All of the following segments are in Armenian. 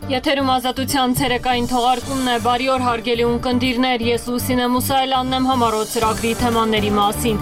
Եթերում ազատության ցերեկային թողարկումն է, բարի օր հարգելի ունկնդիրներ, ես Լուսինե Մուսայելյանն եմ համառոտ ծրագրի թեմաների մասին։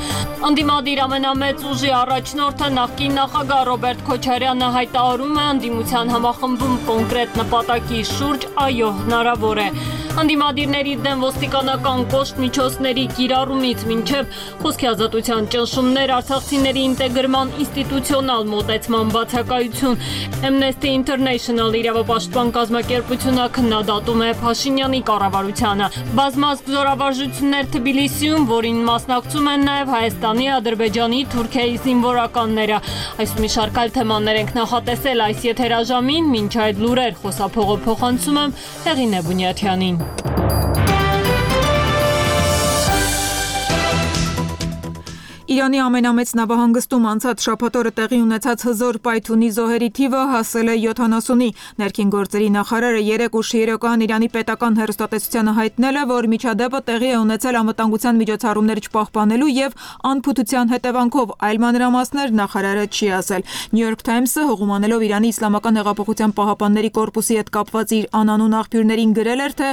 Ընդդիմադիր ամենամեծ ուժի առաջնորդը նախկին նախագահ Ռոբերտ Քոչարյանը հայտարարում է ընդդիմության համախմբում կոնկրետ նպատակի շուրջ, այո, հնարավոր է։ Ընդդիմադիրների դեմ ոստիկանական կոշտ միջոցների կիրառումից մինչև խոսքի ազատության ճնշումներ, արցախցիների ինտեգրման ինստիտուցիոնալ մոտեցման բացակայություն, Amnesty International իրավապաշտպան կազմակերպությունը քննադատում է Փաշինյանի կառավարությանը։ Բազմազգ զորավարժություններ Թբիլիսիում, որին մասնակցում են նաև Հայաստանի, Ադրբեջանի, Թուրքիայի զինվորականները։ Այս մի շարք այլ թեմաներ ենք նախատեսել այս եթերաժամին, մինչ այդ լուրեր խոսափողը փոխանցում եմ Հեղինե Բունյաթյանին։ Իրանի ամենամեծ նավահանգստում անցած շաբաթ օրը տեղի ունեցած հզոր պայթյունի զոհերի թիվը հասել է 70-ի։ Ներքին գործերի նախարարը 3 ուշ երեկոյան Իրանի պետական հեռուստատեսությանը հայտնել է, որ միջադեպը տեղի է ունեցել անվտանգության միջոցառումներ չպահպանելու եւ անփութության հետևանքով, այլ մանրամասներ նախարարը չի ասել։ New York Times-ը հողումանելով Իրանի Իսլամական հեղափոխության պահապանների կորպուսի հետ կապված իր անանուն աղբյուրներին գրել էր, թե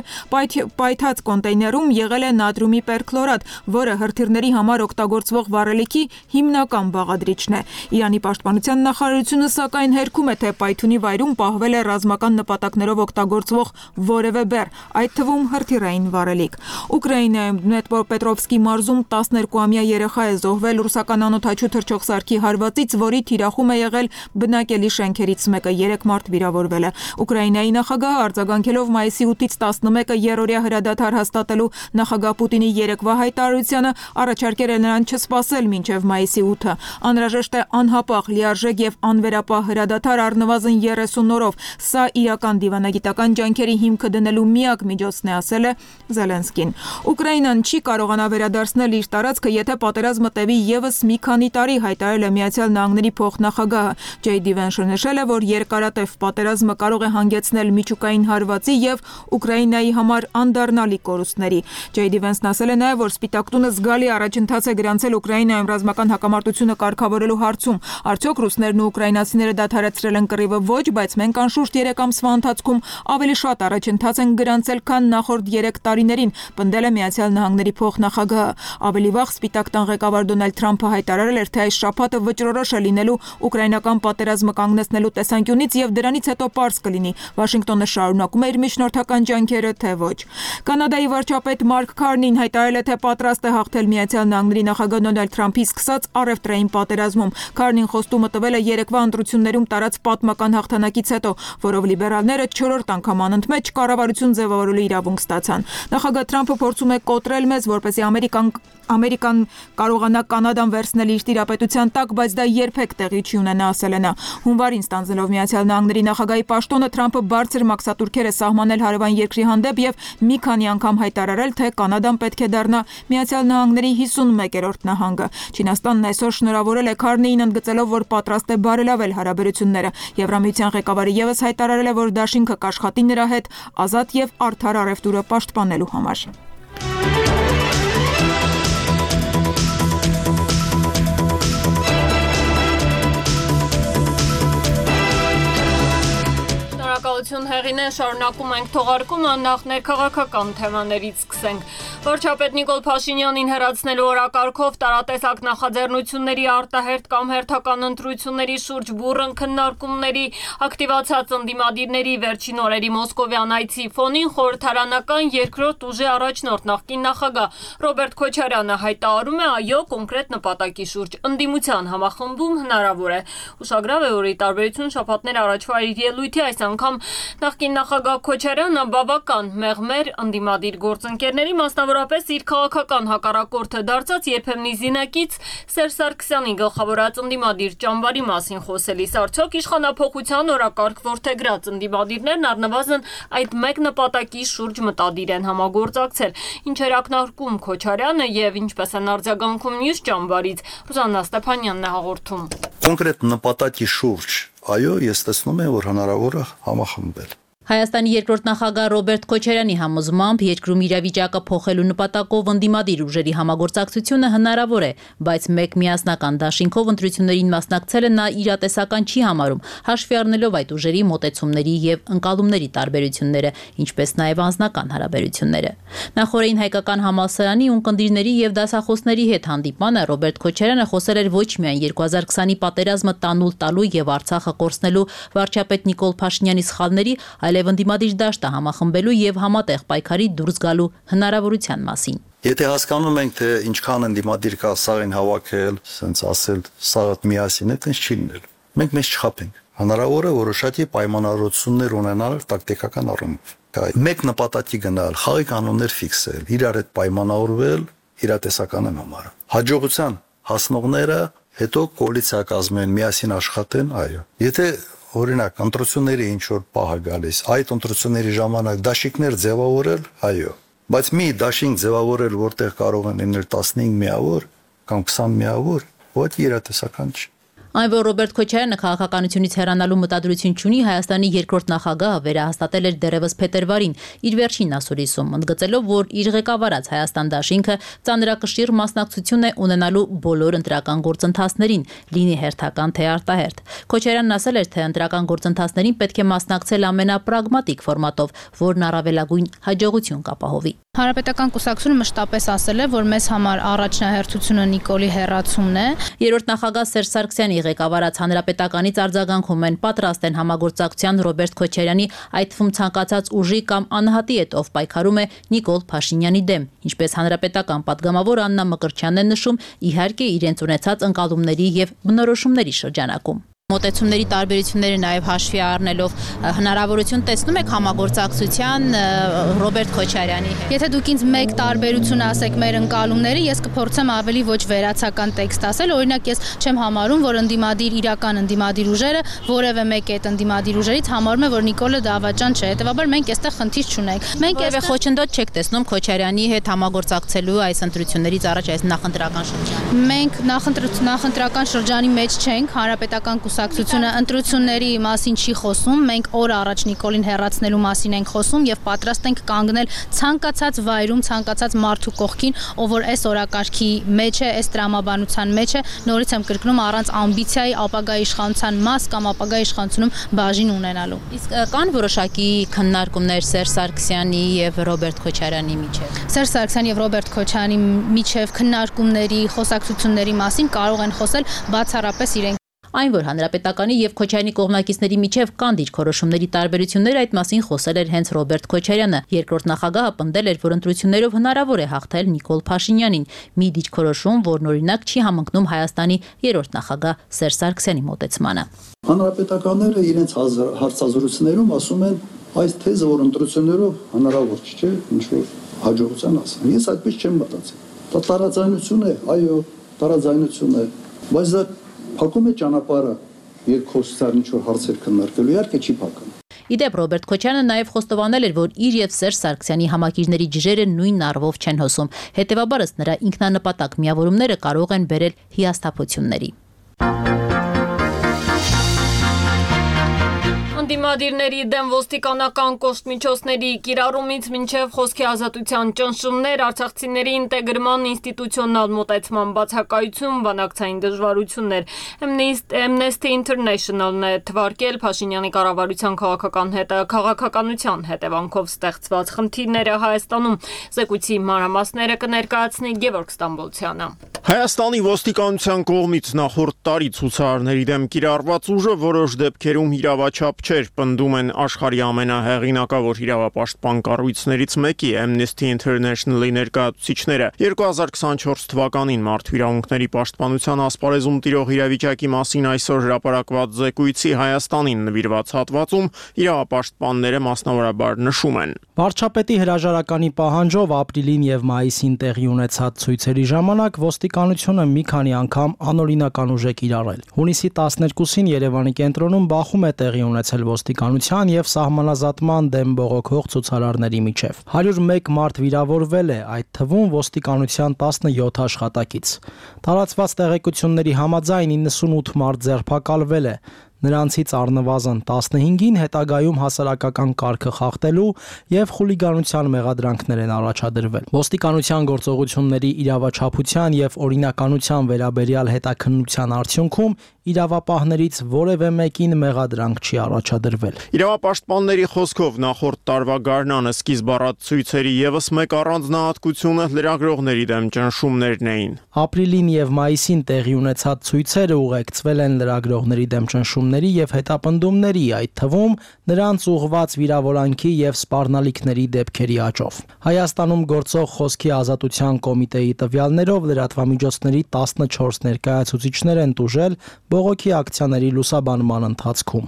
պայթած կոնտեյներում եղել է նատրիումի պերքլորատ, որը հրթիռների համար օգտագործվող վառելիքի հիմնական բաղադրիչն է։ Իրանի պաշտպանության նախարարությունը սակայն հերքում է, թե պայթյունի վայրում պահվել է ռազմական նպատակներով օգտագործվող որևէ բեռ, այդ թվում հրթիռային վառելիք։ Ուկրաինայում Դնեպրոպետրովսկի մարզում 12-ամյա երեխա է զոհվել ռուսական անօդաչու թռչող սարքի հարվածից, որի թիրախում է եղել բնակելի շենքերից մեկը, 3 մարդ վիրավորվել է։ Ուկրաինայի նախագահը արձագանքելով մայիսի 8-ից 11-ը երրորդյա հրադադար հաստատելու նախագահ Պուտինի երեկվա հայտարարությանը առաջարկել է նրան չսպասել մինչև մայիսի 8-ը։ Անհրաժեշտ է անհապաղ, լիարժեք եւ անվերապահ հրադադար առնվազն 30 օրով։ Սա իրական դիվանագիտական ջանքերի հիմքը դնելու միակ միջոցն է, ասել է Զելենսկին։ Ուկրաինան չի կարողանա վերադարձնել իր տարածքը, եթե պատերազմը տևի եւս մի քանի տարի, հայտարարել է Միացյալ Նահանգների փոխնախագահը։ J.D. Vance-ը նշել է, որ երկարատև պատերազմը կարող է հանգեցնել միջուկային հարվածի եւ Ուկրաինայի համար անդառնալի կորուստների։ J.D. Vance-ն ասել է նաեւ, որ Սպիտակ տունը զգալի առաջընթաց է գրանցել Ուկրաինայում ռազմական հակամարտությունը կարգավորելու հարցում։ Արդյոք ռուսներն ու ուկրաինացիները դադարեցրել են կռիվը, ոչ, բայց մենք անշուշտ 3 ամսվա ընթացքում ավելի շատ առաջընթաց են գրանցել, քան նախորդ 3 տարիներին, պնդել է Միացյալ Նահանգների փոխնախագահը։ Ավելի վաղ Սպիտակ տան ղեկավար Դոնալդ Թրամփը հայտարարել էր, թե այս շաբաթը վճռորոշ է լինելու ուկրաինական պատերազմը կանգնեցնելու տեսանկյունից եւ դրանից հետո պարզ կլինի Վաշինգտոնը շարունակում է իր միջնորդական ջանքերը, թե ոչ։ Կանադայի վարչապետ Մարկ Քարնին հայտարարել է, թե պատրաստ է հաղթել Միացյալ Նահանգների նախագահ Դոնալդ Թրամփի սկսած առևտրային պատերազմում։ Քարնին խոստումը տվել է երեկվա ընտրություններում տարած պատմական հաղթանակից հետո, որով լիբերալները 4-րդ անգամ անընդմեջ կառավարություն ձևավորելու իրավունք ստացան։ Նախագահ Թրամփը փորձում է կոտրել մեզ, որպեսզի Ամերիկան կարողանա Կանադան վերցնել իր տիրապետության տակ, բայց դա երբեք տեղի չի ունենա, ասել է նա։ Հունվարին ստանձնելով Միացյալ Նահանգների նախագահի պաշտոնը, Թրամփը բարձր մաքսատուրքեր է սահմանել հարևան երկրի հանդեպ եւ մի քանի անգամ հայտարարել, թե Կանադան պետք է դառնա Միացյալ Նահանգների 51-րդ նահանգը։ Չինաստանն այսօր շնորհավորել է Քարնիին, ընդգծելով, որ պատրաստ է բարելավել հարաբերությունները։ Եվրամիության ղեկավարը եւս հայտարարել է, որ դաշինքը կաշխատի նրա հետ ազատ եւ արդար առևտուրը պաշտպանելու համար։ Շնորհակալություն Հեղինե, շարունակում ենք թողարկումը, նախ ներքաղաքական թեմաներից սկսենք։ Վարչապետ Նիկոլ Փաշինյանին հեռացնելու օրակարգով տարատեսակ նախաձեռնությունների արտահերթ կամ հերթական ընտրությունների շուրջ բուռն քննարկումների ակտիվացած ընդդիմադիրների վերջին օրերի մոսկովյան այցի ֆոնին խորհրդարանական երկրորդ ուժի առաջնորդ նախկին նախագահ Ռոբերտ Քոչարյանը հայտարարում է, այո, կոնկրետ նպատակի շուրջ ընդդիմության համախմբում հնարավոր է։ Ուշագրավ է, որ ի տարբերություն շաբաթներ առաջվա իր ելույթի այս անգամ նախկին նախագահ Քոչարյանը բավական մեղմեր ընդդիմադիր գործընկերների, մասնավորապես իր քաղաքական հակառակորդը դարձած երբեմնի զինակից Սերժ Սարգսյանի գլխավորած ընդդիմադիր ճամբարի մասին խոսելիս, արդյոք իշխանափոխության օրակարգ որդեգրած ընդդիմադիրներն առնվազն այդ մեկ նպատակի շուրջ մտադիր են համագործակցել, ինչեր ակնարկում Քոչարյանը եւ ինչպես են արձագանքում մյուս ճամբարից, Ռուզաննա Ստեփանյանն է հաղորդում։ Կոնկրետ նպատակի շուրջ, այո, ես տեսնում եմ, որ հնարավոր է համախմբել։ Հայաստանի երկրորդ նախագահ Ռոբերտ Քոչարյանի համոզմամբ երկրում իրավիճակը փոխելու նպատակով ընդդիմադիր ուժերի համագործակցությունը հնարավոր է, բայց մեկ միասնական դաշինքով ընտրություններին մասնակցելը նա իրատեսական չի համարում, հաշվի առնելով այդ ուժերի մոտեցումների եւ ընկալումների տարբերությունները, ինչպես նաեւ անձնական հարաբերությունները։ Նախորդին հայկական համալսարանի ունկնդիրների եւ դասախոսների հետ հանդիպմանը Ռոբերտ Քոչարյանը խոսել էր ոչ միայն 2020-ի պատերազմը տանուլ տալու եւ Արցախը կորցնելու վարչապետ Նիկոլ Փաշինյանի սխալների, այլև ընդդիմադիր դաշտը համախմբելու եւ համատեղ պայքարի դուրս գալու հնարավորության մասին։ Եթե հասկանում ենք, թե ինչքան ընդդիմադիր կա սաղին հավաքել, ասենց ասել, սաղը միասին է, տենց չի լինել։ Մենք մեզ չխաբենք։ Հնարավոր է որոշակի պայմանավորություններ ունենալ տակտիկական առումով։ Մեկ նպատակի գնալ, խաղի կանոններ ֆիքսել, իրար հետ պայմանավորվել, իրատեսական եմ համարում։ Հաջողության հասնողները հետո կոալիցիա կազմեն, միասին աշխատեն, այո։ Եթե օրինակ ընտրությունների ինչ որ պահ է գալիս, այդ ընտրությունների ժամանակ դաշինքներ ձևավորել, այո, բայց մի դաշինք ձևավորել, որտեղ կարող են լինել 15 միավոր կամ 20 միավոր, ոչ իրատեսական չի։ Այն, որ Ռոբերտ Քոչարյանը քաղաքականությունից հեռանալու մտադրություն չունի, Հայաստանի երկրորդ նախագահը վերահաստատել էր դեռևս փետրվարին իր վերջին ասուլիսում, ընդգծելով, որ իր ղեկավարած Հայաստան դաշինքը ծանրակշիռ մասնակցություն է ունենալու բոլոր ընտրական գործընթացներին, լինի հերթական թե արտահերթ։ Քոչարյանն ասել էր, թե ընտրական գործընթացներին պետք է մասնակցել ամենապրագմատիկ ֆորմատով, որն առավելագույն հաջողություն կապահովի։ Հանրապետական կուսակցությունը մշտապես ասել է, որ մեզ համար առաջնահերթությունը Նիկոլի հեռացումն է։ Երրորդ նախագահ Սերժ Սարգսյանի ղեկավարած Հանրապետականից արձագանքում են, պատրաստ են համագործակցության Ռոբերտ Քոչարյանի, այդ թվում ցանկացած ուժի կամ անհատի հետ, ով պայքարում է Նիկոլ Փաշինյանի դեմ, ինչպես հանրապետական պատգամավոր Աննա Մկրտչյանն է նշում, իհարկե իրենց ունեցած ընկալումների եւ բնորոշումների շրջանակում։ Մոտեցումների տարբերությունները նաև հաշվի առնելով հնարավորություն տեսնում եք համագործակցության Ռոբերտ Քոչարյանի հետ։ Եթե դուք ինձ մեկ տարբերություն ասեք մեր ընկալումների, ես կփորձեմ ավելի ոչ վերացական տեքստ ասել, օրինակ ես չեմ համարում, որ իրական ընդդիմադիր ուժերը որևէ մեկ այդ ընդդիմադիր ուժերից համարում է, որ Նիկոլը դավաճան չէ, հետեւաբար մենք այստեղ խնդիր չունենք։ Մենք այստեղ խոչընդոտ չեք տեսնում Քոչարյանի հետ համագործակցելու այս ընտրություններից առաջ այս նախընտրական շրջանում։ Մենք նախընտրական շրջանի մեջ չենք, հանրապետական կուսակցությունը ընտրությունների մասին չի խոսում, մենք օր առաջ Նիկոլին հեռացնելու մասին ենք խոսում եւ պատրաստ ենք կանգնել ցանկացած վայրում, ցանկացած մարդու կողքին, ով որ այս օրակարգի մեջ է, այս տրամաբանության մեջ է, նորից եմ կրկնում, առանց ամբիցիայի ապագա իշխանության մաս կամ ապագա իշխանությունում բաժին ունենալու։ Իսկ կան որոշակի քննարկումներ Սերժ Սարգսյանի եւ Ռոբերտ Քոչարյանի միջեւ։ Սերժ Սարգսյանի եւ Ռոբերտ Քոչարյանի միջեւ քննարկումների, խոսակցությունների մասին կարող են խոսել բացառապես իրենք։ Այն, որ Հանրապետականի եւ Քոչարյանի կողմնակիցների միջև կան դիրքորոշումների տարբերություններ, այդ մասին խոսել էր հենց Ռոբերտ Քոչարյանը։ Երկրորդ նախագահը պնդել էր, որ ընտրություններով հնարավոր է հաղթել Նիկոլ Փաշինյանին, մի դիրքորոշում, որն օրինակ չի համընկնում Հայաստանի երրորդ նախագահ Սերժ Սարգսյանի մոտեցմանը։ Հանրապետականները իրենց հարցազրույցներում ասում են այս թեզը, որ ընտրություններով հնարավոր չէ, ինչ որ հաջողության ասեն։ Ես այդպես չեմ մտածել։ Դա տարաձայնություն է, այո, տարաձայնություն է, բայց դա փակում է ճանապարհը երկխոսության ինչ որ հարցեր քննարկելու, իհարկե չի փակում։ Իդեպ Ռոբերտ Քոչարյանը նաև խոստովանել էր, որ իր եւ Սերժ Սարգսյանի համակիրների ջրերը նույն առվով չեն հոսում, հետեւաբար ըստ նրա ինքնանպատակ միավորումները կարող են բերել հիասթափությունների։ Ընդդիմադիրների դեմ ոստիկանական կոշտ միջոցների կիրառումից մինչև խոսքի ազատության ճնշումներ, արցախցիների ինտեգրման ինստիտուցիոնալ մոտեցման բացակայություն, բանակցային դժվարություններ։ Amnesty International-ն է թվարկել Փաշինյանի կառավարության քաղաքականության հետևանքով ստեղծված խնդիրները Հայաստանում։ Զեկույցի մանրամասները կներկայացնի Գևորգ Ստամբոլցյանը։ Հայաստանի ոստիկանության կողմից նախորդ տարի ցուցարարների դեմ կիրառված ուժը որոշ դեպքերում իրավաչափ չէր, պնդում են աշխարհի ամենահեղինակավոր իրավապաշտպան կառույցներից մեկի Amnesty International-ի ներկայացուցիչները։ 2024 թվականին Մարդու իրավունքների պաշտպանության ասպարեզում տիրող իրավիճակի մասին այսօր հրապարակված զեկույցի Հայաստանին նվիրված հատվածում իրավապաշտպանները մասնավորաբար նշում են. Վարչապետի հրաժարականի պահանջով ապրիլին եւ մայիսին տեղի ունեցած ցույցերի ժամանակ ոստիկանությունը մի քանի անգամ անօրինական ուժ է կիրառել։ Հունիսի 12-ին Երևանի կենտրոնում բախում է տեղի ունեցել ոստիկանության եւ սահմանազատման դեմ բողոքող ցուցարարների միջև։ 101 մարդ վիրավորվել է, այդ թվում ոստիկանության 17 աշխատակից։ Տարածված տեղեկությունների համաձայն 98 մարդ ձերբակալվել է։ Նրանցից առնվազն 15-ին հետագայում հասարակական կարգը խախտելու եւ խուլիգանության մեղադրանքներ են առաջադրվել։ Ոստիկանության գործողությունների իրավաչափության եւ օրինականության վերաբերյալ հետաքննության արդյունքում իրավապահներից որևէ մեկին մեղադրանք չի առաջադրվել։ Իրավապաշտպանների խոսքով նախորդ տարվա գարնանը սկիզբ առած ցույցերի եւս մեկ առանձնահատկությունը լրագրողների դեմ ճնշումներն էին։ Ապրիլին եւ մայիսին տեղի ունեցած ցույցերը ուղեկցվել են լրագրողների դեմ ճնշումների եւ հետապնդումների, այդ թվում նրանց ուղղված վիրավորանքի եւ սպառնալիքների դեպքերի աճով։ Հայաստանում գործող Խոսքի ազատության կոմիտեի տվյալներով լրատվամիջոցների 14 ներկայացուցիչներ են տուժել բողոքի ակցիաների լուսաբանման ընթացքում։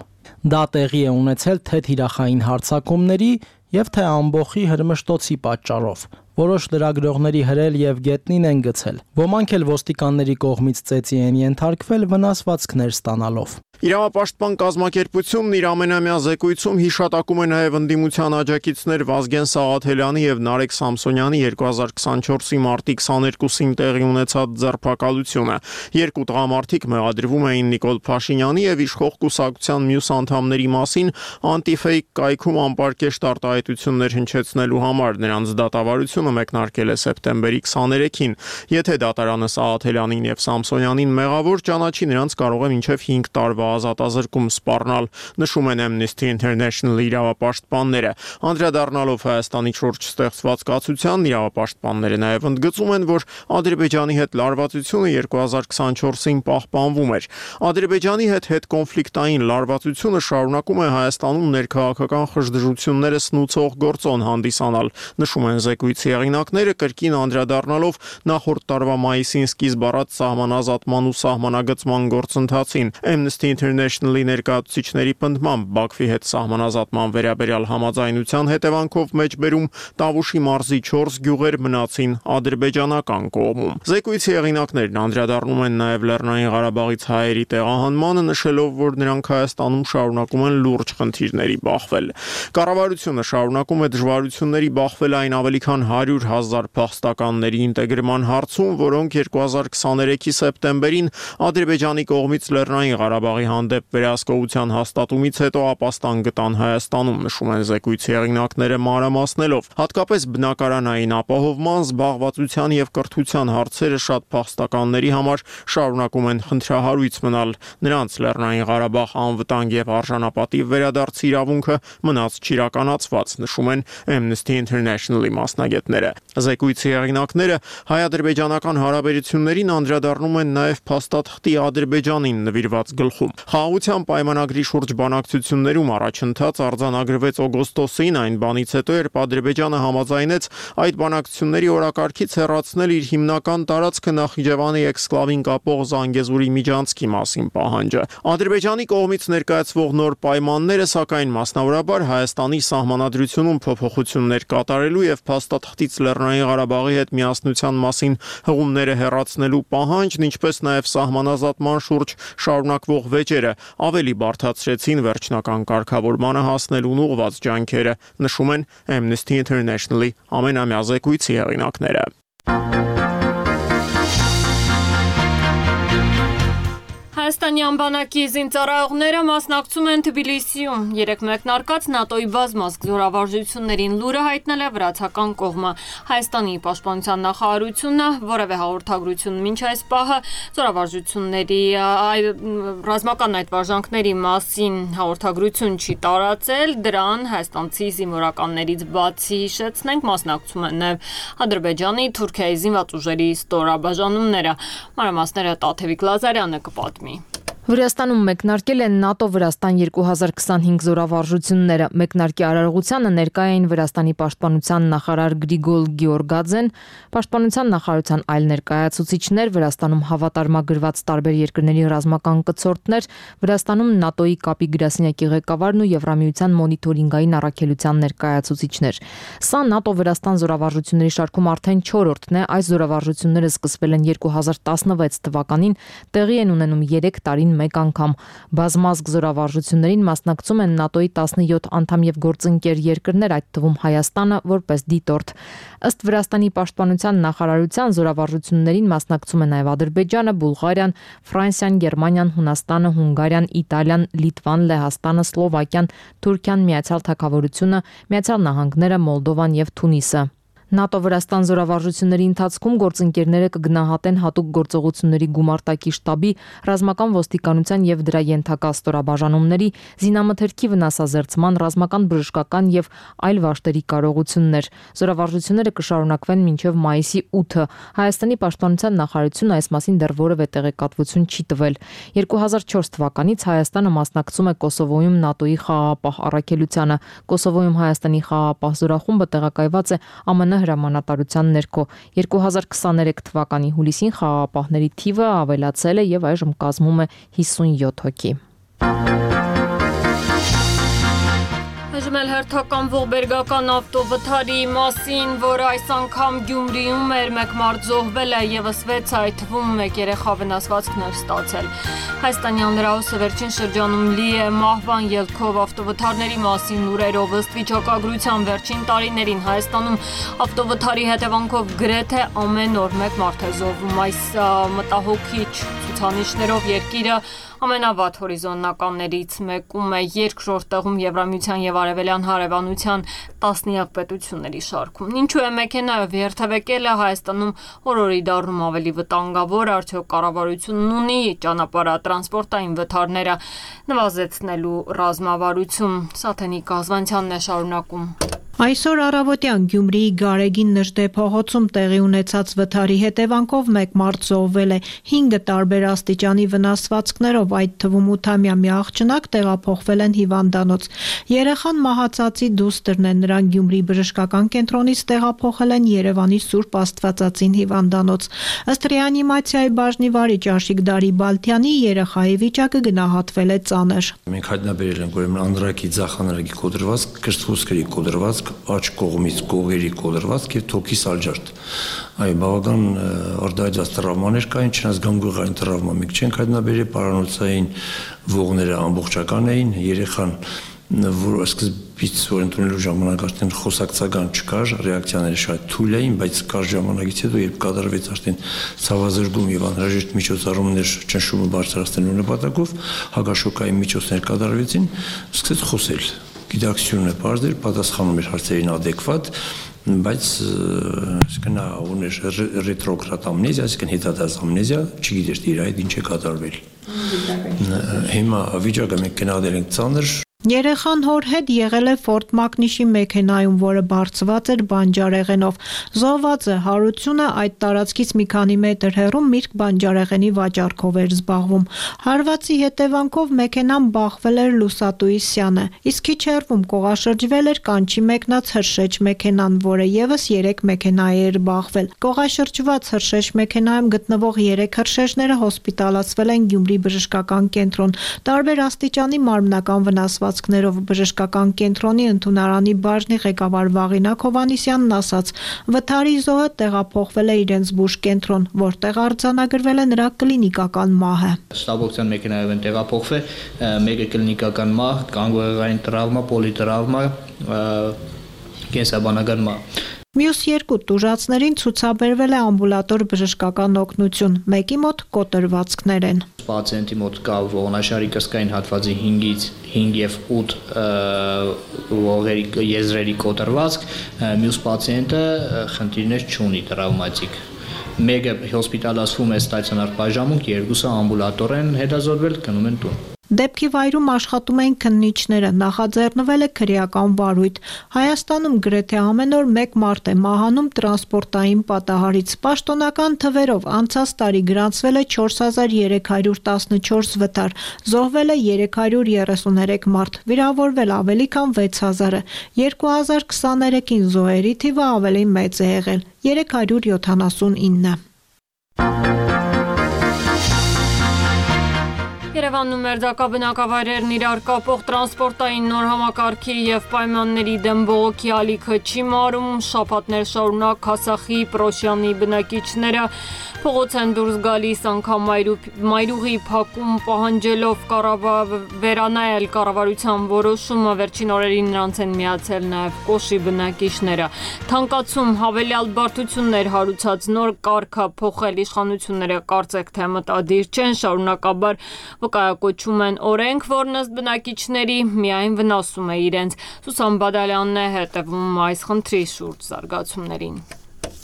Դա տեղի է ունեցել թե թիրախային հարձակումների եւ թե ամբոխի հրմշտոցի պատճառով։ Որոշ լրագրողների հրել եւ գետնին են գցել։ Ոմանք էլ ոստիկանների կողմից ծեծի են ենթարկվել վնասվածքներ ստանալով։ Իրավապաշտպան կազմակերպությունն իր ամենամյա զեկույցում հիշատակում է նաև ընդդիմության աջակիցներ Վազգեն Սաղաթելյանի եւ Նարեկ Սամսոնյանի 2024-ի մարտի 22-ին տեղի ունեցած ձերբակալությունը։ Երկու տղամարդիկ մեղադրվում էին Նիկոլ Փաշինյանի եւ իշխող կուսակցության մյուս անդամների մասին անտիֆեյք կայքում անպարկեշտ արտահայտություններ հնչեցնելու համար։ Նրանց դատավարությունը մեկնարկել է սեպտեմբերի 23-ին։ Եթե դատարանը Սաղաթելյանին եւ Սամսոնյանին մեղավոր ճանաչի, նրանց կարող է մինչեւ 5 տարվա ազատազրկում սպառնալ, նշում են Amnesty International-ի իրավապաշտպանները։ Անդրադառնալով Հայաստանի շուրջ ստեղծված կացության, իրավապաշտպանները նաև ընդգծում են, որ Ադրբեջանի հետ լարվածությունը 2024-ին պահպանվում էր։ Ադրբեջանի հետ կոնֆլիկտային լարվածությունը շարունակում է Հայաստանում ներքաղաքական խժդժությունները սնուցող գործոն հանդիսանալ, նշում են զեկույցի հեղինակները, կրկին անդրադառնալով նախորդ տարվա մայիսին սկիզբ առած սահմանազատման ու սահմանագծման գործընթացին։ Amnesty International-ի ներկայացուցիչների պնդմամբ Բաքվի հետ սահմանազատման վերաբերյալ համաձայնության հետևանքով մեջբերում Տավուշի մարզի 4 գյուղեր մնացին ադրբեջանական կողմում։ Զեկույցի հեղինակներն անդրադառնում են նաև Լեռնային Ղարաբաղից հայերի տեղահանմանը, նշելով, որ նրանք Հայաստանում շարունակում են լուրջ խնդիրների բախվել։ Կառավարությունը շարունակում է դժվարությունների բախվել այն ավելի քան 100,000 փախստականների ինտեգրման հարցում, որոնք 2023-ի սեպտեմբերին Ադրբեջանի կողմից Լեռնային Ղարաբաղի հանդեպ վերահսկողության հաստատումից հետո ապաստան գտան Հայաստանում, նշում են զեկույցի հեղինակները մանրամասնելով։ Հատկապես բնակարանային ապահովման, զբաղվածության եւ կրթության հարցերը շատ փախստականների համար շարունակում են խնդրահարույց մնալ։ Նրանց Լեռնային Ղարաբաղ անվտանգ եւ արժանապատիվ վերադարձի իրավունքը մնաց չիրականացված, նշում են Amnesty International-ի մասնագետները։ Զեկույցի հեղինակները հայ-ադրբեջանական հարաբերություններին անդրադառնում են նաեւ փաստաթղթի Ադրբեջանին նվիրված գլխում։ Խաղաղության պայմանագրի շուրջ բանակցություններում առաջընթաց արձանագրվեց օգոստոսին, այն բանից հետո, երբ Ադրբեջանը համաձայնեց այդ բանակցությունների օրակարգից հեռացնել իր հիմնական տարածքը Նախիջևանի էքսկլավին կապող Զանգեզուրի միջանցքի մասին պահանջը։ Ադրբեջանի կողմից ներկայացվող նոր պայմանները, սակայն մասնավորաբար Հայաստանի սահմանադրությունում փոփոխություններ կատարելու եւ փաստաթղթից Լեռնային Ղարաբաղի հետ միասնության մասին հղումները հեռացնելու պահանջն, ինչպես նաեւ սահմանազատման շուրջ շարունակվող վեճերը ավելի բարդացրեցին վերջնական կարգավորմանը հասնելուն ուղղված ջանքերը, նշում են Amnesty International-ի ամենամյա զեկույցի հեղինակները։ Հայաստանյան բանակի զինծառայողները մասնակցում են Թբիլիսիում։ Երեք մեկնարկած ՆԱՏՕ-ի բազմազգ զորավարժություններին լուրը հայտնել է վրացական կողմը։ Հայաստանի պաշտպանության նախարարությունը որևէ հաղորդագրություն մինչ այս պահը զորավարժությունների ռազմական այդ վարժանքների մասին հաղորդագրություն չի տարածել։ Դրան հայաստանցի զինվորականներից բացի հիշեցնենք մասնակցում են նաև Ադրբեջանի, Թուրքիայի զինված ուժերի ստորաբաժանումները։ Մանրամասները Տաթևիկ Լազարյանը կպատմի։ Վրաստանում մեկնարկել են ՆԱՏՕ-Վրաստան 2025 զորավարժությունները։ Մեկնարկի արարողությանը ներկայ էին Վրաստանի պաշտպանության նախարար Գրիգոլ Գեորգաձեն, պաշտպանության նախարարության այլ ներկայացուցիչներ, Վրաստանում հավատարմագրված տարբեր երկրների ռազմական կցորդներ, Վրաստանում ՆԱՏՕ-ի կապի գրասենյակի ղեկավարն ու Եվրամիության մոնիթորինգային առաքելության ներկայացուցիչներ։ Սա ՆԱՏՕ-Վրաստան զորավարժությունների շարքում արդեն 4-րդն է։ Այս զորավարժությունները սկսվել են 2016 թվականին, տեղի են ունենում 3 տարի մեկ անգամ։ Բազմազգ զորավարժություններին մասնակցում են ՆԱՏՕ-ի 17 անդամ եւ գործընկեր երկրներ, այդ թվում Հայաստանը, որպես դիտորդ։ Ըստ Վրաստանի պաշտպանության նախարարության զորավարժություններին մասնակցում է նաեւ Ադրբեջանը, Բուլղարիան, Ֆրանսիան, Գերմանիան, Հունաստանը, Հունգարիան, Իտալիան, Լիտվան, Լեհաստանը, Սլովակիան, Թուրքիան, Միացյալ Թագավորությունը, Միացյալ Նահանգները, Մոլդովան եւ Թունիսը։ ՆԱՏՕ-Վրաստան զորավարժությունների ընթացքում գործընկերները կգնահատեն հատուկ գործողությունների գումարտակի շտաբի, ռազմական ոստիկանության եւ դրա ենթակա ստորաբաժանումների, զինամթերքի վնասազերծման, ռազմական բժշկական եւ այլ վաշտերի կարողություններ։ Զորավարժությունները կշարունակվեն մինչեւ մայիսի 8-ը։ Հայաստանի պաշտպանության նախարարությունը այս մասին դեռ որևէ տեղեկատվություն չի տվել։ 2004 թվականից Հայաստանը մասնակցում է Կոսովոյում ՆԱՏՕ-ի խաղաղապահ առաքելությանը։ Կոսովոյում Հայաստանի խաղաղապահ զորախումբը տեղակայված է ԱՄՆ հրամանատարության ներքո 2023 թվականի հուլիսին խաղաղապահների թիվը ավելացել է եւ այժմ կազմում է 57 հոգի։ Այժմ էլ հերթական ողբերգական ավտովթարի մասին, որը այս անգամ Գյումրիում էր, մեկ մարդ զոհվել է եւս 6, այդ թվում 1 երեխա վնասվածքներ ստացել։ Հայաստանյան լրահոսը վերջին շրջանում լի է մահվան ելքով ավտովթարների մասին լուրերով։ Ըստ վիճակագրության վերջին տարիներին Հայաստանում ավտովթարի հետևանքով գրեթե ամեն օր 1 մարդ է զոհվում։ Այս մտահոգիչ ցուցանիշներով երկիրը ամենավատ հորիզոնականներից մեկում է, երկրորդ տեղում Եվրամիության եւ Արևելյան հարևանության տասնյակ պետությունների շարքում։ Ինչու է մեքենայով երթևեկելը Հայաստանում օր-օրի դառնում ավելի վտանգավոր, արդյոք կառավարությունն ունի ճանապարհատրանսպորտային վթարները նվազեցնելու ռազմավարություն։ Սաթենիկ Ազվանցյանն է շարունակում։ Այսօր առավոտյան Գյումրիի Գարեգին Նժդե փողոցում տեղի ունեցած վթարի հետևանքով 1 մարդ զոհվել է, 5 տարբեր աստիճանի վնասվածքներով, այդ թվում 8-ամյա մի աղջնակ տեղափոխվել են հիվանդանոց։ Երեխան մահացածի դուստրն է, նրան Գյումրի բժշկական կենտրոնից տեղափոխել են Երևանի Սուրբ Աստվածածին հիվանդանոց։ Ըստ ռեանիմացիայի բաժնի վարիչ Աշիկ Դարիբալթյանի երեխայի վիճակը գնահատվել է ծանր։ Մենք հայտնաբերել ենք ուրեմն անդրակի ձախանրագի կոտրվածք, կրծքուսկրի կոտրվածք, աջ կողմից կողերի կոտրվածք եւ թոքի սալջարդ։ Այ բավական արդայացած տրավմաներ կային, չնայած գանգուղային տրավմա մենք չենք հայտնաբերել, պարանոցային ողները ամբողջական էին, երեխան որ սկզբից որ ընդունելու ժամանակ արդեն խոսակցական չկար, ռեակցիաները շատ թույլ էին, բայց կար ժամանակից հետո երբ կատարվեց արդեն ցավազրկում եւ անհրաժեշտ միջոցառումներ ճնշումը բարձրացնելու նպատակով, հակաշոկային միջոցներ կատարվեցին, սկսեց խոսել։ Գիտակցությունը բարձր էր, պատասխանում էր հարցերին adekvat, բայց նա ուներ ռետրոգրադ ամնեզիա, այսինքն հետադարձ ամնեզիա, չգիտեր իր այդ ինչ է կատարվել։ Հիմա վիճակը մենք գնահատել ենք ծանր։ Երեխան հոր հետ եղել է Ֆորդ Մակնիշի մեքենայում, որը բարձված էր բանջարեղենով։ Զոհվածը Հարությունը այդ տարածքից մի քանի մետր հեռու միրգ բանջարեղենի վաճառքով էր զբաղվում։ Հարվածի հետևանքով մեքենան բախվել էր լուսատուի սյանը, իսկ քիչ հեռվում կողաշրջվել էր կանչի մեկնած հրշեջ մեքենան, որը եւս 3 մեքենայի էր բախվել։ Կողաշրջված հրշեջ մեքենայում գտնվող 3 հրշեջները հոսպիտալացվել են Գյումրի բժշկական կենտրոն։ Տարբեր աստիճանի մարմնական վնասված բժշկական կենտրոնի ընդունարանի բաժնի ղեկավար Վաղինակ Հովանիսյանն ասաց, վթարի զոհը տեղափոխվել է իրենց բուժ կենտրոն, որտեղ արձանագրվել է նրա կլինիկական մահը։ Ստաբոկցիան մեքենայով են տեղափոխվել, մեկը կլինիկական մահ, գանգուղեղային տրավմա, պոլիտրավմա, կենսաբանական մահ։ Մյուս 2 տուժածներին ցուցաբերվել է ամբուլատոր բժշկական օգնություն, մեկի մոտ կոտրվածքներ են։ Պացիենտի մոտ կա ողնաշարի կրծքային հատվածի 5-ից 5 եւ 8 ողերի եզրերի կոտրվածք, մյուս պացիենտը խնդիրներ չունի տրավմատիկ։ Մեկը հոսպիտալացվում է ստացիոնար բաժանմունք, երկուսը ամբուլատոր են հետազոտվել, գնում են տուն։ Դեպքի վայրում աշխատում էին քննիչները, նախաձեռնվել է քրեական վարույթ։ Հայաստանում գրեթե ամեն օր 1 մարդ է մահանում տրանսպորտային պատահարից։ Պաշտոնական թվերով անցած տարի գրանցվել է 4314 վթար, զոհվել է 333 մարդ, վիրավորվել ավելի քան 6000-ը։ 2023-ին զոհերի թիվը ավելի մեծ է եղել՝ 379։ Երևանն ու Մերձակա բնակավայրերն իրար կապող տրանսպորտային նոր համակարգի եւ պայմանների դեմ բողոքի ալիքը չի մարում, շաբաթներ շարունակ Քասախի, Պրոշյանի բնակիչները փողոց են դուրս գալիս, անգամ մայրուղի փակում պահանջելով վերանայել կառավարության որոշումը, վերջին օրերին նրանց են միացել նաեւ Կոշի բնակիչները։ Թանկացում հավելյալ բարդություններ հարուցած նոր կարգը փոխել իշխանությունները կարծեք թե մտադիր չեն, շարունակաբար վկայակոչում են օրենք, որն ըստ բնակիչների միայն վնասում է իրենց։ Սուսան Բադալյանն է հետևում այս խնդրի շուրջ զարգացումներին։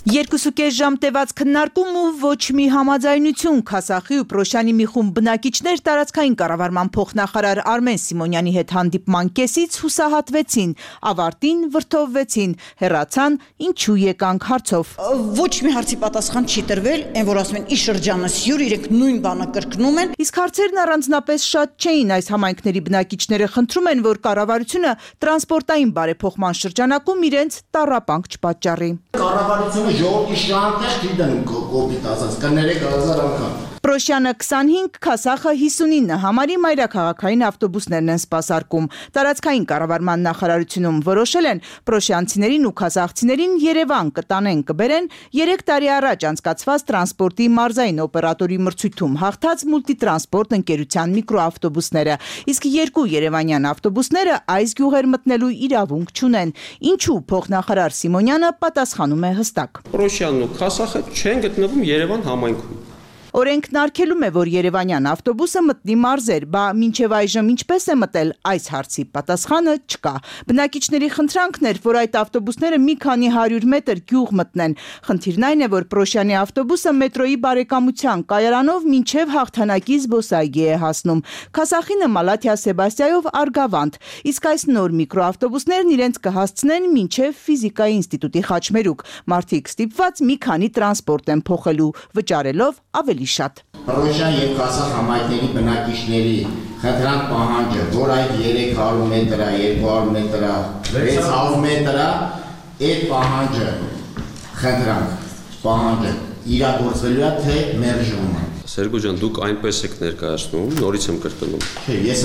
2.5 ժամ տևած քննարկում ու ոչ մի համաձայնություն Քասախի ու Պրոշյանի մի խումբ բնակիչներ տարածքային կառավարման փոխնախարար Արմեն Սիմոնյանի հետ հանդիպման կեսից հուսահատվեցին, ավարտին վրդովվեցին, հեռացան, ինչու եկանք հարցով։ Ոչ մի հարցի պատասխան չի տրվել, այն որ ասում են ի շրջանը սյուր, իրենք նույն բանը կրկնում են։ Իսկ հարցերն առանձնապես շատ չէին, այս համայնքների բնակիչները խնդրում են, որ կառավարությունը տրանսպորտային բարեփոխման շրջանակում իրենց տառապանք չպատճառի։ Կառավարությունը ժողովրդի շահանքներ չի դնում կոպիտ ասած, կներեք 1000 անգամ։ Պրոշյանը 25, Քասախը 59 համարի մայրաքաղաքային ավտոբուսներն են սպասարկում։ Տարածքային կառավարման նախարարությունում որոշել են պրոշյանցիներին ու քասախցիներին Երևան կտանեն կբերեն 3 տարի առաջ անցկացված տրանսպորտի մարզային օպերատորի մրցույթում հաղթած մուլտիտրանսպորտ ընկերության միկրոավտոբուսները, իսկ 2 երևանյան ավտոբուսները այս գյուղեր մտնելու իրավունք չունեն։ Ինչու փոխնախարար Սիմոնյանը պատասխանում է հստակ։ Պրոշյանն ու Քասախը չեն գտնվում Երևան համայնքում։ Օրենքն արգելում է, որ երևանյան ավտոբուսը մտնի մարզեր, բա մինչև այժմ ինչպես է մտել այս հարցի պատասխանը չկա։ Բնակիչների խնդրանքն էր, որ այդ ավտոբուսները մի քանի 100 մետր գյուղ մտնեն։ Խնդիրն այն է, որ Պրոշյանի ավտոբուսը մետրոյի բարեկամության կայարանով մինչև հաղթանակի զբոսայգի է հասնում։ Քասախինը Մալաթիա Սեբաստիայով Արգավանդ, իսկ այս նոր միկրոավտոբուսներն իրենց կհասցնեն մինչև ֆիզիկայի ինստիտուտի Խաչմերուկ։ Մարդիկ ստիպված մի քանի տրանսպորտ են փոխելու, վճարելով ավելի շատ։ Պրոշյան եւ Քասախ համայնքների բնակիչների խնդրանք պահանջը, որ այդ 300 մետր է, 200 մետր է, 600 մետր է, այդ պահանջը խնդրանք պահանջը իրագործվելու է թե մերժվում է։ Սերգո ջան, դուք այնպես եք ներկայացնում, նորից եմ կրկնում,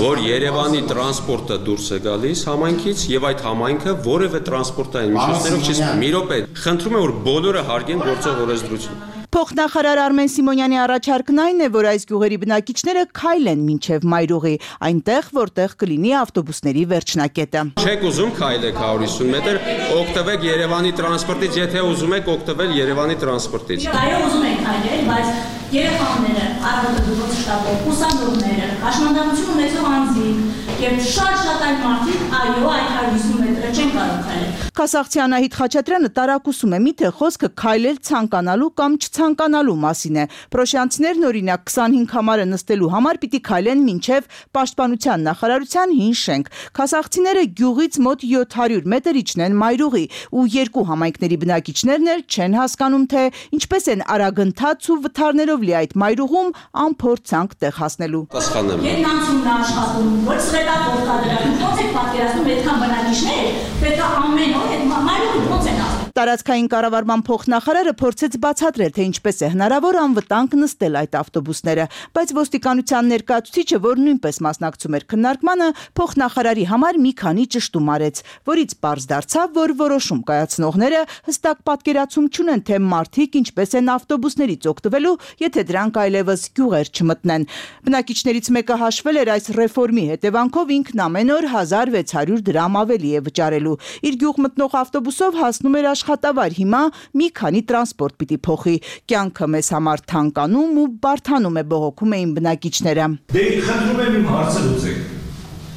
որ Երևանի տրանսպորտը դուրս է գալիս համայնքից եւ այդ համայնքը որևէ տրանսպորտային միջոցներով չի։ Մի րոպե, խնդրում եմ, որ բոլորը հարգեն գործող օրենսդրություն։ Փոխնախարար Արմեն Սիմոնյանի առաջարկն այն է, որ այս գյուղերի բնակիչները քայլեն մինչև Մայրուղի, այնտեղ, որտեղ կլինի ավտոբուսների վերջնակետը։ Չեք ուզում քայլեք 150 մետր, օգտվեք Երևանի տրանսպորտից, եթե ուզում եք օգտվել Երևանի տրանսպորտից։ Այո, ուզում ենք քայլել, բայց երեխաները, առավոտը շտապով, ուսանողները, հաշմանդամություն ունեցող անձինք եւ շատ այլ մարդիկ, այո, այդ 150 մետրը չեն կարող քայլել։ Քասախցի Անահիտ Խաչատրյանը տարակուսում է, միթե խոսքը քայլել ցանկանալու կամ չցանկանալու մասին է։ Պրոշյանցիներն օրինակ 25 համարը նստելու համար պիտի քայլեն մինչև Պաշտպանության նախարարության հին շենք։ Քասախցիները գյուղից մոտ 700 մետր իջնեն Մայրուղի ու երկու համայնքների բնակիչներն էլ չեն հասկանում, թե ինչպես են արագընթաց ու վթարներով լի այդ Մայրուղում անփորձանք տեղ հասնելու։ Երկնանցումն աշխատում, որ սրետավոր կա դրա, ոնց եք պատկերացնում այդքան բնակիչներ, պետք է ամեն օր այդ Մայրուղում ոնց են ասում։ Տարածքային կառավարման փոխնախարարը փորձեց բացատրել, թե ինչպես է հնարավոր անվտանգ նստել այդ ավտոբուսները, բայց ոստիկանության ներկայացուցիչը, որ նույնպես մասնակցում էր քննարկմանը, փոխնախարարի համար մի քանի ճշտում արեց, որից պարզ դարձավ, որ որոշում կայացնողները հստակ պատկերացում չունեն, թե մարդիկ ինչպես են ավտոբուսներից օգտվելու, եթե դրանք այլևս գյուղեր չմտնեն։ Բնակիչներից մեկը հաշվել էր այս ռեֆորմի հետևանքով ինքն ամեն օր 1600 դրամ ավելի է վճարելու։ Իր գյուղ մտնող ավտոբուսով հասնում էր աշխատավար, հիմա մի քանի տրանսպորտ պիտի փոխի։ Կյանքը մեզ համար թանկանում ու բարդանում է, բողոքում էին բնակիչները։ Դե խնդրում եմ իմ հարցը լուծեք։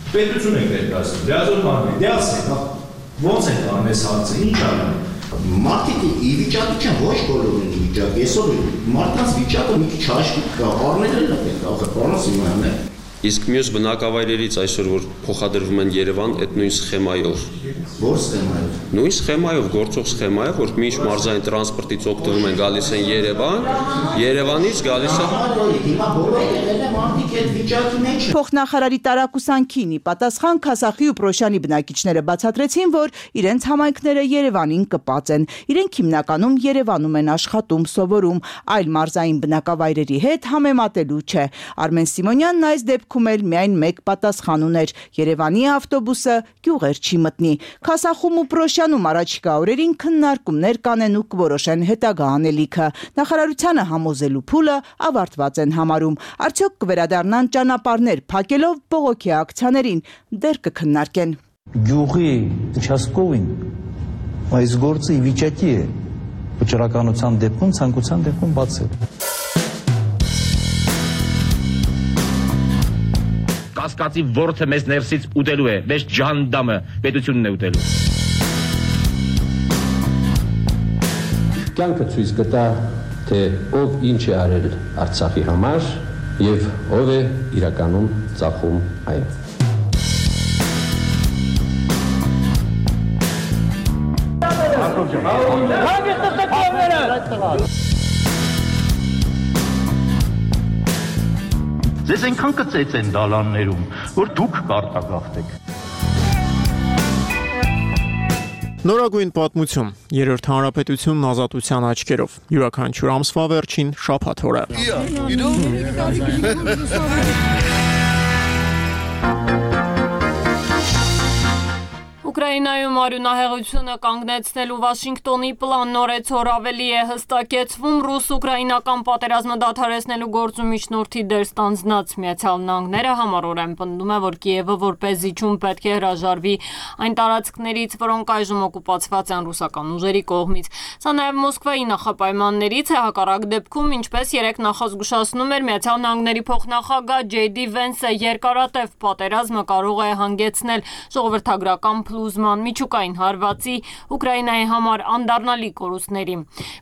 Պետություն եք ներկայացնում, լիազոր բան, դե ասեք, ո՞նց եք անում այս հարցը, ինչ անենք։ Մարդիկ ի վիճակի չեն, ոչ բոլորն են ի վիճակի, այսօր մարդկանց վիճակը մի քիչ հաշվի կա, առնել է պետք, ախր Սիմոնյանն է։ Իսկ մյուս բնակավայրերից այսօր որ փոխադրվում են Երևան, այդ նույն սխեմայով։ Որ սխեմայով։ Նույն սխեմայով, գործող սխեմայով, որ միշտ մարզային տրանսպորտից օգտվում են, գալիս են Երևան, Երևանից գալիս է։ Հիմա բոլորը եղել է մարդիկ այդ վիճակի մեջ։ Փոխնախարարի տարակուսանքին ի պատասխան Քասախի ու Պրոշյանի բնակիչները բացատրեցին, որ իրենց համայնքները Երևանին կպած են։ Իրենք հիմնականում Երևանում են աշխատում, սովորում, այլ մարզային բնակավայրերի հետ համեմատելու չէ։ Արմեն Սիմոնյանն այս դեպքում դեպքում էլ միայն մեկ պատասխան ուներ. Երևանի ավտոբուսը գյուղեր չի մտնի։ Քասախում ու Պրոշյանում առաջիկա օրերին քննարկումներ կանեն ու կորոշեն հետագա անելիքը։ Նախարարությանը համոզելու փուլը ավարտված են համարում։ Արդյոք կվերադառնան ճանապարհներ փակելով բողոքի ակցիաներին, դեռ կքննարկեն։ Գյուղի участковին այս գործը ի վիճակի է վճռականության դեպքում, ցանկության դեպքում բացել։ Կասկածի ворթը մեզ ներսից ուտելու է, մեզ ջանդամը պետությունն է ուտելու։ Կյանքը ցույց կտա, թե ով ինչ է արել Արցախի համար եւ ով է իրականում ծախում այն։ Ձեզ այնքան կծեց են դալաններում, որ դուք կարտագաղթեք։ Նորագույն պատմություն, երրորդ հանրապետությունն ազատության աչքերով, յուրաքանչյուր ամսվա վերջին շաբաթ օրը։ Ուկրաինայում արյունահեղությունը կանգնեցնելու Վաշինգտոնի պլանն օրեցօր ավելի է հստակեցվում ռուս-ուկրաինական պատերազմը դադարեցնելու գործում միջնորդի դեր ստանձնած Միացյալ Նահանգները համառորեն պնդում է, որ Կիևը որպես զիջում պետք է հրաժարվի այն տարածքներից, որոնք այժմ օկուպացված են ռուսական ուժերի կողմից։ Սա նաև Մոսկվայի նախապայմաններից է, հակառակ դեպքում, ինչպես երեկ նախազգուշացնում էր Միացյալ Նահանգների փոխնախագահ Ջեյ Դի Վենսը, երկարատև պատերազմը կարող է հանգեցնել ժողովրդագրական փլուզման, միջուկային հարվածի, Ուկրաինայի համար անդառնալի կորուստների։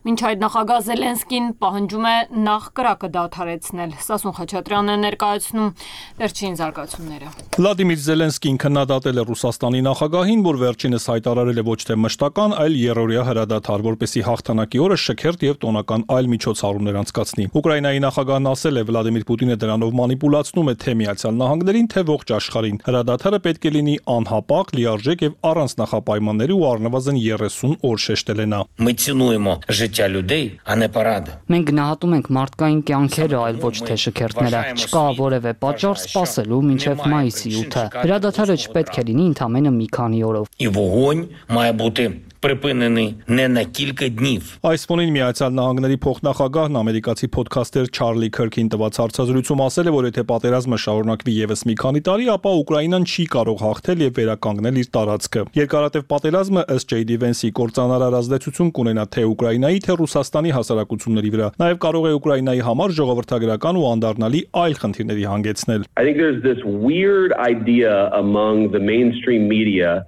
Մինչ այդ նախագահ Զելենսկին պահանջում է նախ կրակը դադարեցնել։ Սասուն Խաչատրյանն է ներկայացնում վերջին զարգացումները։ Վլադիմիր Զելենսկին քննադատել է Ռուսաստանի նախագահին, որ վերջինս հայտարարել է ոչ թե մշտական, այլ երրորդյա հրադադար, որպեսզի հաղթանակի օրը շքերթ եւ տոնական այլ միջոցառումներ անցկացնի։ Ուկրաինայի նախագահն ասել է, Վլադիմիր Պուտինը դրանով մանիպուլացնում է թե Միացյալ Նահանգներին, թե ողջ աշխարհին։ Հրադադարը պետք է լինի անհապաղ, լիարժեք եւ առանց նախապայմանների ու առնվազն 30 օր շեշտել է նա։ Մենք գնահատում ենք մարդկային կյանքերը, այլ ոչ թե շքերթները։ Չկա որևէ պատճառ սպասելու մինչև մայիսի 8-ը։ Հրադադարը չպետք է լինի ընդամենը մի քանի օրով։ Այս ֆոնին Միացյալ Նահանգների փոխնախագահն ամերիկացի փոդքասթեր Չարլի Քըրքին տված հարցազրույցում ասել է, որ եթե պատերազմը շարունակվի եւս մի քանի տարի, ապա Ուկրաինան չի կարող հաղթել եւ վերականգնել իր տարածքը։ Երկարատև պատերազմը ըստ Ջեյ Դի Վենսի կործանարար ազդեցություն կունենա թե Ուկրաինայի, թե Ռուսաստանի հասարակությունների վրա։ Նաեւ կարող է Ուկրաինայի համար ժողովրդագրական ու անդառնալի այլ խնդիրների հանգեցնել։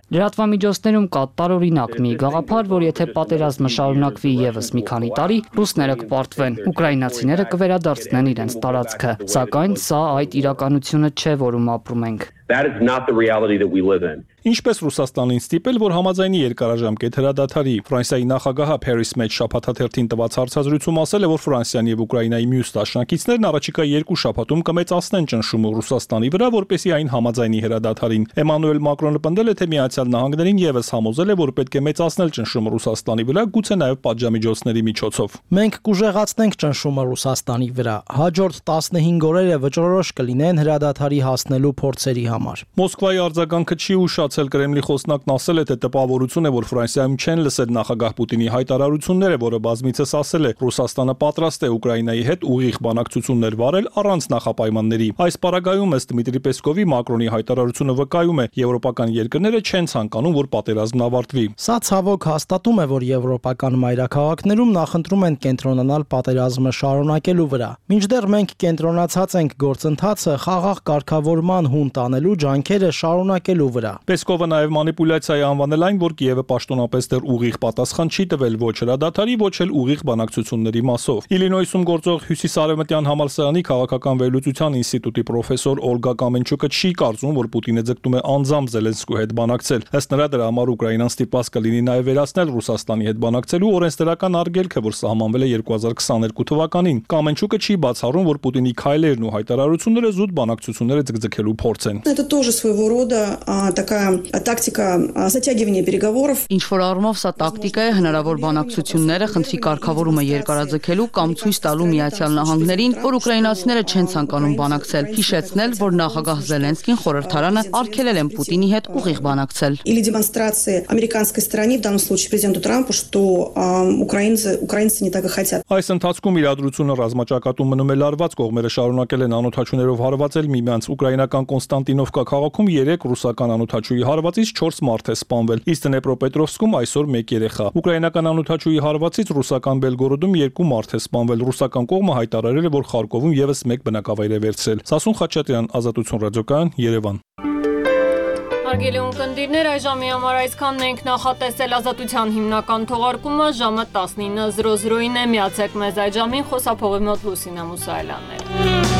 Լրատվամիջոցներում կա տարօրինակ մի գաղափար, որ եթե պատերազմը շարունակվի եւս մի քանի տարի, ռուսները կպարտվեն, ուկրաինացիները կվերադարձնեն իրենց տարածքը, սակայն սա այդ իրականությունը չէ, որում ապրում ենք։ That is not the reality that we live in. Ինչպես Ռուսաստանին ստիպել, որ համաձայնի երկարաժամկետ հրադադարի։ Ֆրանսիայի նախագահը Փարիս մեջ շաբաթաթերթին տված հարցազրույցում ասել է, որ Ֆրանսիան եւ Ուկրաինայի մյուս դաշնակիցներն առաջիկա 2 շաբաթում կմեծացնեն ճնշումը Ռուսաստանի վրա, որպեսզի այն համաձայնի հրադադարին։ Էմանուել Մակրոնը պնդել է, թե Միացյալ Նահանգներին եւս համոզել է, որ պետք է մեծացնել ճնշումը Ռուսաստանի վրա, գուցե նաեւ պատժամիջոցների միջոցով։ Մենք կուժեղացնենք ճնշումը Ռուսաստանի վրա։ Հաջորդ 15 օրերը վճռորոշ կլինեն հրադադարի հասնելու փորձերի համար։ Մոսկվայի արձագանքը չի ուշացել։ Կրեմլի խոսնակն ասել է, թե տպավորություն է, որ Ֆրանսիայում չեն լսել նախագահ Պուտինի հայտարարությունները, որը բազմիցս ասել է, Ռուսաստանը պատրաստ է Ուկրաինայի հետ ուղիղ բանակցություններ վարել առանց նախապայմանների։ Այս պարագայում ըստ Դմիտրի Պեսկովի Մակրոնի հայտարարությունը վկայում է, եվրոպական երկրները չեն ցանկանում, որ պատերազմն ավարտվի։ Սա ցավոք հաստատում է, որ եվրոպական մայրաքաղաքներում նախընտրում են կենտրոնանալ պատերազմը շարունակելու վրա։ Մինչդեռ մենք կենտրոնացած ենք գործընթացը խաղաղ կարգավորման հունտ անելու ջանքերը շարունակելու վրա։ Պեսկովը նաև մանիպուլյացիա է անվանել այն, որ Կիևը պաշտոնապես դեռ ուղիղ պատասխան չի տվել ոչ հրադադարի, ոչ էլ ուղիղ բանակցությունների մասով։ Իլինոյսում գործող Հյուսիսարևմտյան համալսարանի քաղաքական վերլուծության ինստիտուտի պրոֆեսոր Օլգա Կամենչուկը չի կարծում, որ Պուտինը ձգտում է անձամբ Զելենսկու հետ բանակցել։ Ըստ նրա, դրա համար Ուկրաինան ստիպված կլինի նաև վերացնել Ռուսաստանի հետ բանակցելու օրենսդրական արգելքը, որ սահմանվել է 2022 թվականին։ Կամենչուկը չի բացառում, որ Պուտինի քայլերն ու հայտարարությունները զուտ բանակցությունները ձգձգելու փորձ են։ Это тоже своего рода такая тактика затягивания переговоров. Ինչ որ առումով սա տակտիկա է հնարավոր բանակցությունները խնդրի կարգավորումը երկարաձգելու կամ ցույց տալու Միացյալ Նահանգներին, որ ուկրաինացիները չեն ցանկանում բանակցել, հիշեցնել, որ նախագահ Զելենսկին խորհրդարանը արգելել են Պուտինի հետ ուղիղ բանակցել։ Или демонстрации американской стороны, в данном случае президенту Трампу, что украинцы не так и хотят. Այս ընթացքում իրադրությունը ռազմաճակատում մնում է լարված, կողմերը շարունակել են անօթաչուներով հարվածել միմյանց։ Ուկրաինական Կոնստանտինովկա քաղաքում 3 ռուսական անօթաչուի հարվածից 4 մարդ է սպանվել, իսկ Դնեպրոպետրովսկում այսօր 1 երեխա։ Ուկրաինական անօթաչուի հարվածից ռուսական Բելգորոդում 2 մարդ է սպանվել։ Ռուսական կողմը հայտարարել է, որ Խարկովում եւս 1 բնակավայր է վերցրել։ Սասուն Խաչատրյան, Ազատություն ռադիոկայան, Երևան։ Հարգելի ունկնդիրներ, այժմի համար այսքանն ենք նախատեսել Ազատության հիմնական թողարկումը ժամը 19:00-ին է, միացեք մեզ այդ ժամին, խոսափողի մոտ Լուսինա Մուսայելյանն է։